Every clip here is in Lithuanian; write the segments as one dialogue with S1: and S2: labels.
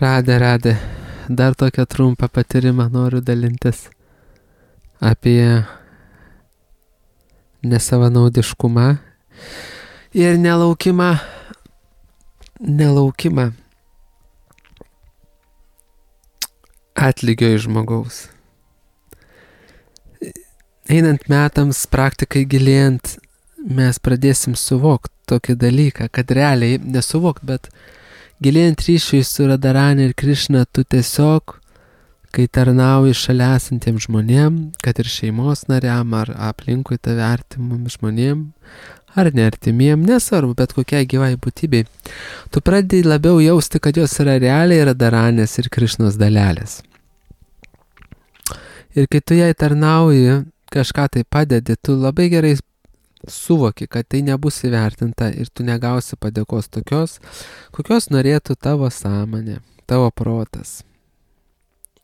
S1: Radė. Dar tokią trumpą patyrimą noriu dalintis apie nesavanaudiškumą ir nelaukimą atlygio iš žmogaus. Einant metams, praktikai gilėjant, mes pradėsim suvokti tokį dalyką, kad realiai nesuvokti, bet gilėjant ryšiui su Radharani ir Krišna, tu tiesiog, kai tarnauji šalia esantiems žmonėm, kad ir šeimos nariam, ar aplinkui tave artimum žmonėm, ar neartimiem, nesvarbu, bet kokiai gyvai būtybei, tu pradedi labiau jausti, kad jos yra realiai Radharanės ir Krišnos dalelės. Ir kai tu jai tarnauji, kažką tai padedi, tu labai gerai suvoki, kad tai nebus įvertinta ir tu negausi padėkos tokios, kokios norėtų tavo sąmonė, tavo protas.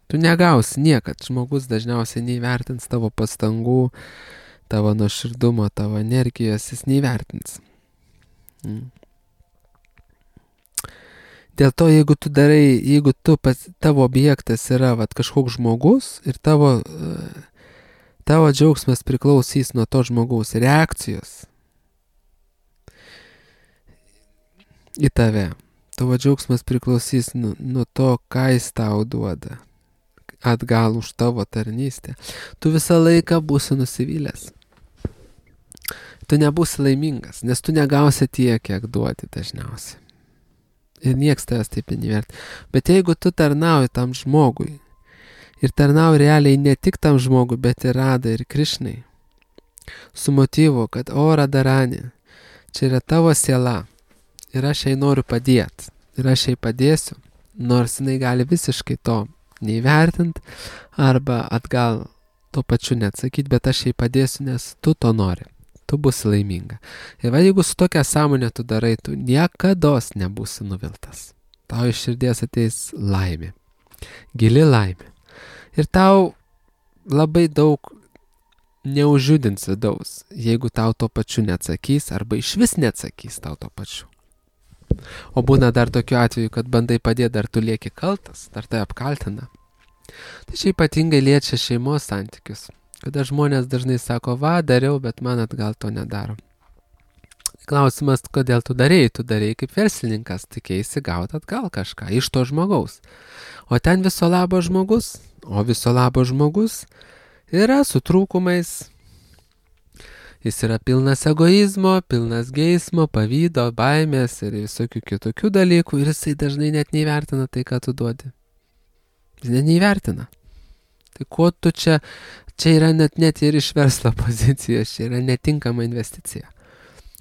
S1: Tu negausi niekad, žmogus dažniausiai neįvertins tavo pastangų, tavo nuoširdumo, tavo energijos, jis neįvertins. Dėl to, jeigu tavo objektas yra kažkoks žmogus ir tavo džiaugsmas priklausys nuo to žmogaus reakcijos į tave. Tavo džiaugsmas priklausys nuo to, ką jis tau duoda atgal už tavo tarnystę. Tu visą laiką būsi nusivylęs. Tu nebūsi laimingas, nes tu negausi tiek, kiek duoti dažniausiai. Ir nieks tavęs taip neįvert. Bet jeigu tu tarnauji tam žmogui, ir tarnauji realiai ne tik tam žmogui, bet ir Radai ir Krišnai, su motyvu, kad Radharani, čia yra tavo siela ir aš jai noriu padėti. Ir aš jai padėsiu, nors jinai gali visiškai to neįvertinti arba atgal tuo pačiu neatsakyti, bet aš jai padėsiu, nes tu to nori. Tu būsi laiminga. Ir jeigu su tokia sąmonė tu darai, tu niekados nebūsi nuviltas. Tau iš širdies ateis laimė. Gili laimė. Ir tau labai daug neužjudins vidaus, jeigu tau to pačiu neatsakys arba išvis neatsakys tau to pačiu. O būna dar tokiu atveju, kad bandai padėti, dar tu lieki kaltas, dar tai apkaltina. Tai čia ypatingai liečia šeimos santykius. Kada žmonės dažnai sako, dariau, bet man atgal to nedaro. Klausimas, kodėl tu darėjai kaip verslininkas, tikėjaisi gauti atgal kažką iš to žmogaus. O ten viso labo žmogus, yra su trūkumais. Jis yra pilnas egoizmo, pilnas geismo, pavydo, baimės ir visokių kitokių dalykų ir jisai dažnai net neįvertina tai, ką tu duodi. Jis net neįvertina. Tai ko tu čia yra net ir iš verslo pozicijos, čia yra netinkama investicija.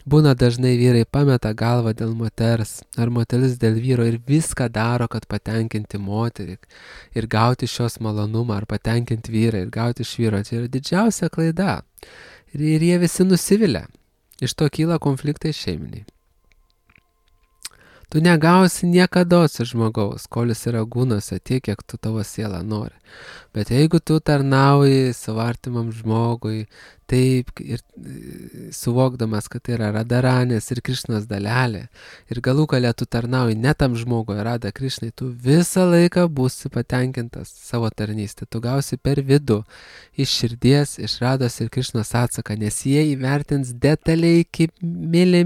S1: Būna dažnai vyrai pameta galvą dėl moters, ar moteris dėl vyro ir viską daro, kad patenkinti moterį ir gauti šios malonumą, ar patenkinti vyrą ir gauti iš vyro. Čia yra didžiausia klaida. Ir jie visi nusivilia. Iš to kyla konfliktai šeiminiai. Tu negausi niekados iš žmogaus, kol jis yra gūnuose tiek, kiek tu tavo sielą nori. Bet jeigu tu tarnauji savo artimam žmogui, taip ir suvokdamas, kad tai yra Radharanės ir Krišnos dalelė, ir galų gale tu tarnauji ne tam žmogui, Radha Krišnai, tu visą laiką būsi patenkintas savo tarnystę. Tu gausi per vidų, iš širdies, iš Radhos ir Krišnos atsaką, nes jie įvertins detaliai kaip mili.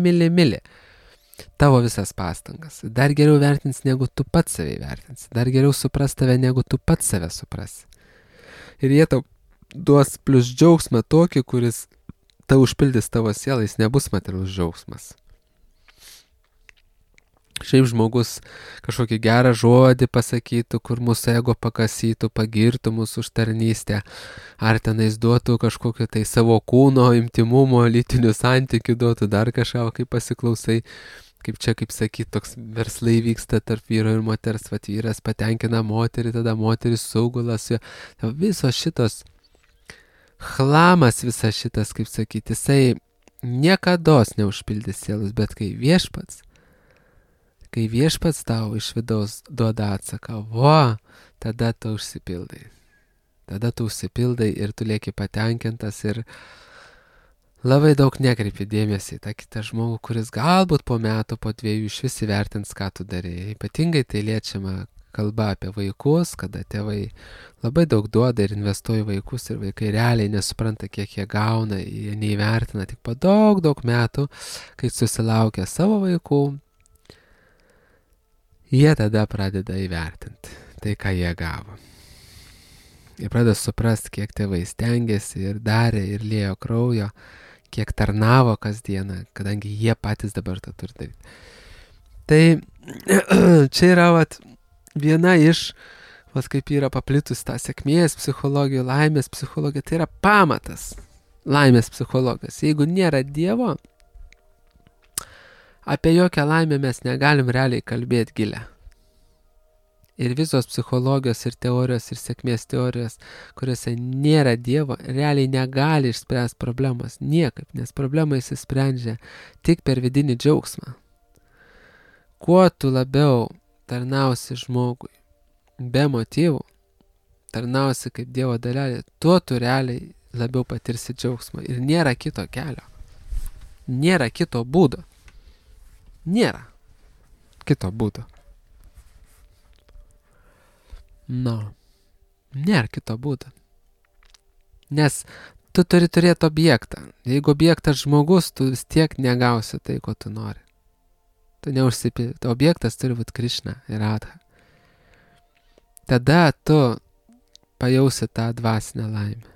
S1: Tavo visas pastangas. Dar geriau vertins, negu tu pats save vertins. Dar geriau supras tave, negu tu pats save suprasi. Ir jie tau duos plius džiaugsmą tokį, kuris tau užpildys tavo sielą, jis nebus materialus džiaugsmas. Šiaip žmogus kažkokį gerą žodį pasakytų, kur mūsų ego pakasytų, pagirtų mūsų už tarnystę, ar tenais duotų kažkokio tai savo kūno, intimumo, lytinių santykių duotų, dar kažką, kai pasiklausai, kaip sakyt, toks verslai vyksta tarp vyro ir moters, vyras patenkina moterį, tada moteris saugulas, visos šitos chlamas, visas šitas, kaip sakyti, jisai niekados neužpildys sielos, bet kai viešpats tau iš vidaus duoda atsaką, tada tu užsipildai. Tada tu užsipildai ir tu lieki patenkintas ir labai daug nekreipi dėmesį į tą kitą žmogų, kuris galbūt po metų, po 2 iš vis įvertins, ką tu darėjai. Ypatingai tai liečiama, kalba apie vaikus, kada tėvai labai daug duoda ir investuoja į vaikus ir vaikai realiai nesupranta, kiek jie gauna, jie neįvertina tik po daug metų, kai susilaukia savo vaikų, jie tada pradeda įvertinti tai, ką jie gavo. Ir pradeda suprasti, kiek tėvai stengiasi ir darė ir liejo kraujo, kiek tarnavo kasdieną, kadangi jie patys dabar tą turi daryti. Tai čia yra viena iš, kaip yra paplitus tą sėkmės psichologijų, laimės psichologija, tai yra pamatas laimės psichologijos. Jeigu nėra Dievo, apie jokią laimę mes negalim realiai kalbėti gilę. Ir visos psichologijos ir teorijos ir sėkmės teorijos, kuriuose nėra Dievo, realiai negali išspręsti problemos niekaip, nes problema įsisprendžia tik per vidinį džiaugsmą. Kuo tu labiau tarnausi žmogui be motyvų, tarnausi kaip Dievo dalelė, tuo tu realiai labiau patirsi džiaugsmą. Ir nėra kito kelio. Nėra kito būdo. Nėra kito būdo. Nėra kito būdo. Nes tu turi turėti objektą. Jeigu objektas žmogus, tu vis tiek negausi tai, ko tu nori. Tu neužsipildi. Objektas turi būti Krišna ir Radha. Tada tu pajausi tą dvasinę laimę.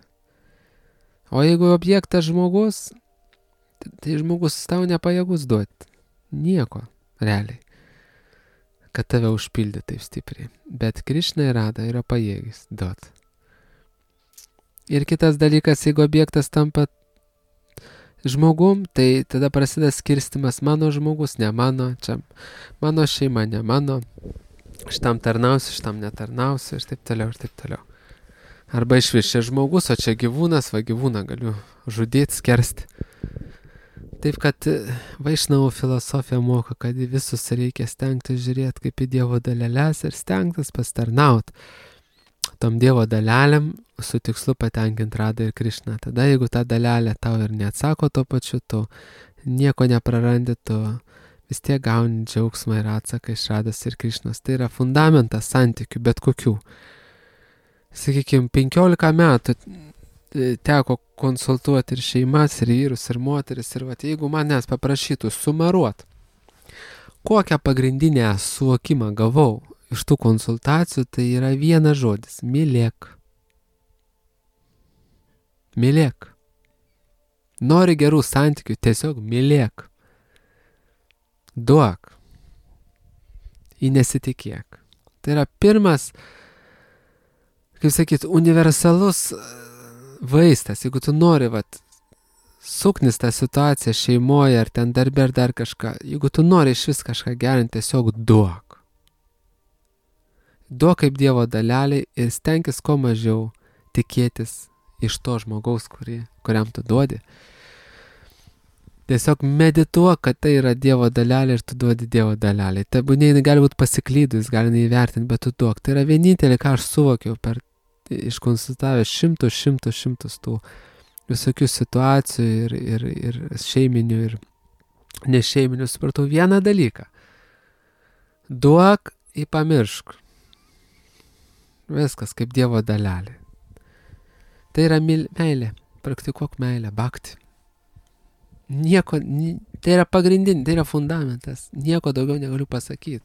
S1: O jeigu objektas žmogus, tai žmogus tau nepajėgus duoti. Nieko, realiai. Kad tave užpildė taip stipriai. Bet Krišna ir Radha yra pajėgis duoti. Ir kitas dalykas, jeigu objektas tampa žmogum, tai tada prasideda skirstimas mano žmogus, ne mano, čia mano šeima, ne mano, šitam tarnausiu, šitam netarnausiu ir taip toliau. Arba išvis čia žmogus, o čia gyvūnas, gyvūną galiu žudyti, skersti. Taip, kad Vaišnavų filosofija moko, kad į visus reikia stengtis žiūrėti kaip į Dievo dalelės ir stengtis pastarnauti tom Dievo dalelėm su tikslu patenkinti Radhą ir Krišną. Tada, jeigu ta dalelė tau ir neatsako tuo pačiu, tu nieko neprarandi, tu vis tiek gauni džiaugsmą ir atsaką iš Radhos ir Krišnos. Tai yra fundamentas santykių, bet kokių. Sakykime, 15 metų teko konsultuoti ir šeimas, ir vyrus, ir moteris, ir jeigu manęs paprašytų sumaruot, kokią pagrindinę suvokimą gavau iš tų konsultacijų, tai yra vienas žodis – mylėk. Mylėk. Nori gerų santykių, tiesiog mylėk. Duok. Į nesitikėk. Tai yra pirmas, kaip sakyt, universalus vaistas, jeigu tu nori suknis tą situaciją šeimoje ar ten darbe ar dar kažką, jeigu tu nori iš vis kažką gerinti, tiesiog duok. Duok kaip Dievo daleliai ir stenkis kuo mažiau tikėtis iš to žmogaus, kuriam tu duodi. Tiesiog medituok, kad tai yra Dievo dalelė ir tu duodi Dievo dalelį. Tebūnie gali būti pasiklydus, gali neįvertinti, bet tu duok. Tai yra vienintelė, ką aš suvokiau iškonsultavęs šimtus tų visokių situacijų ir šeiminių ir nešeiminių, supratau vieną dalyką. Duok į pamiršk. Viskas kaip Dievo dalelė. Tai yra meilė. Praktikuok meilę, bhakti. Nieko, tai yra pagrindinė, tai yra fundamentas. Nieko daugiau negaliu pasakyti.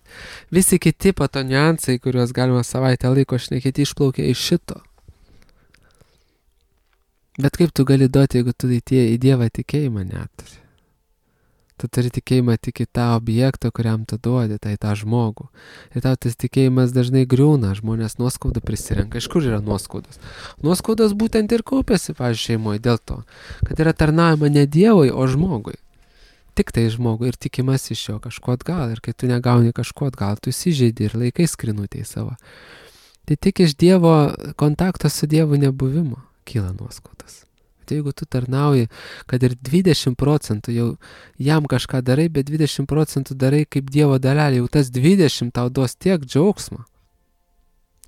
S1: Visi kiti pato niuansai, kuriuos galima savaitę laiko šnekėti, išplaukia iš šito. Bet kaip tu gali duoti, jeigu tu į Dievą tikėjimą neturi? Tu turi tikėjimą tik į tą objektą, kuriam tu duodi, tai tą žmogų. Ir tau tas tikėjimas dažnai griūna, žmonės nuoskaudą prisirenka. Iš kur yra nuoskaudos? Nuoskaudos būtent ir kaupiasi, pavyzdžiui, šeimoje dėl to, kad yra tarnaujama ne Dievui, o žmogui. Tik tai žmogui ir tikimas iš jo kažko atgal. Ir kai tu negauni kažko atgal, tu įsižeidi ir laikai skrinutėj savo. Tai tik iš Dievo kontakto su Dievu nebuvimo kyla nuoskaudas. Bet jeigu tu tarnauji, kad ir 20% jau jam kažką darai, bet 20% darai kaip Dievo dalelė, jau tas 20 tau duos tiek džiaugsmo.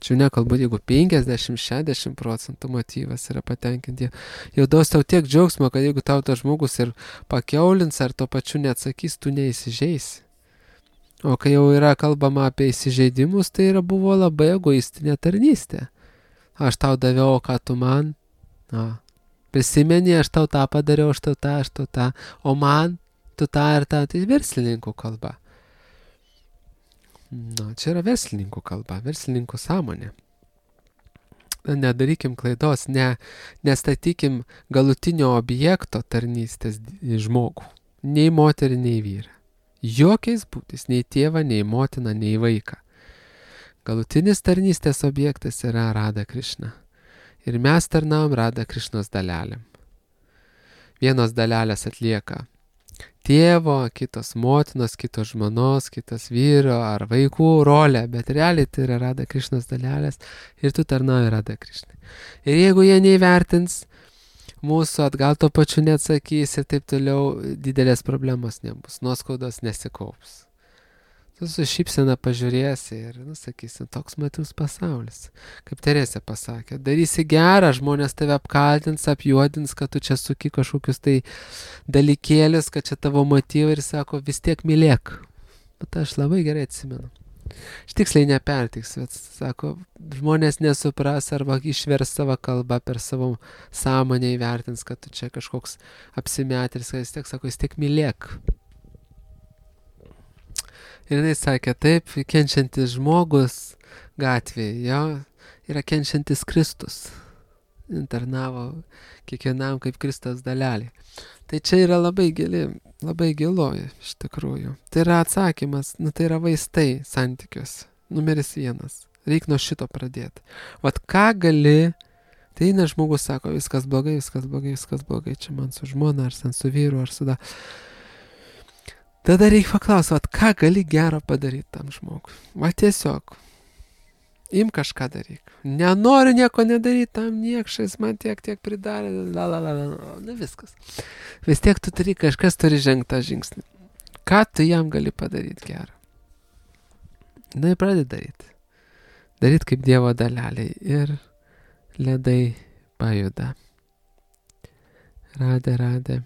S1: Čia nekalbu, jeigu 50-60% motyvas yra patenkinti, jau duos tau tiek džiaugsmo, kad jeigu tau tas žmogus ir pakiaulins ar to pačiu neatsakys, tu neįsižeisi. O kai jau yra kalbama apie įsižeidimus, tai buvo labai egoistinė tarnystė. Aš tau daviau, o ką tu man? Prisimeni, aš tau tą padariau, aš tau tą, o man tu tą ir tą, tai verslininkų kalba. Čia yra verslininkų kalba, verslininkų sąmonė. Nedarykim klaidos, nestatykim galutinio objekto tarnystės į žmogų. Nei moterį, nei vyrą. Jokiais būdais, nei tėvą, nei motiną, nei vaiką. Galutinis tarnystės objektas yra Radha Krišna. Ir mes tarnaujam Radha Krišnos dalelėm. Vienos dalelės atlieka tėvo, kitos motinos, kitos žmonos, kitos vyro ar vaikų rolę, bet realiai tai yra Radha Krišnos dalelės ir tu tarnauji Radha Krišnai. Ir jeigu jie neįvertins mūsų, atgal to pačiu neatsakys ir taip toliau, didelės problemos nebus, nuoskaudos nesikaups. Tu su šypsena pažiūrėsi ir, sakysi, toks matus pasaulis. Kaip Teresė pasakė, darysi gerą, žmonės tave apkaltins, apjuodins, kad tu čia suki kažkokius tai dalykėlis, kad čia tavo motyvai ir sako, vis tiek mylėk. Bet aš labai gerai atsimenu. Aš tiksliai nepertiksiu, bet sako, žmonės nesupras arba išvers savo kalbą per savo sąmonę įvertins, kad tu čia kažkoks apsimetris, kad vis tiek mylėk. Ir jinai sakė, taip, kenčiantis žmogus gatvėje, jo, yra kenčiantis Kristus. Internavo kiekvienam kaip Kristus dalelė. Tai čia yra labai gilu iš tikrųjų. Tai yra atsakymas, tai yra vaistai santykiuose. Numeris 1. Reik nuo šito pradėti. Vat ką gali, tai eina žmogus sako, viskas blogai, čia man su žmona, ar su vyru, ar su da. Tada reikia paklausyti, ką gali gero padaryti tam žmogui. Va tiesiog, im kažką daryk. Nenoriu nieko nedaryti, tam niekšais man tiek pridarė, viskas. Vis tiek tu turi, kažkas turi žengti tą žingsnį. Ką tu jam gali padaryti gerą? Ir pradedi daryti. Daryti kaip Dievo daleliai ir ledai pajuda. Radė.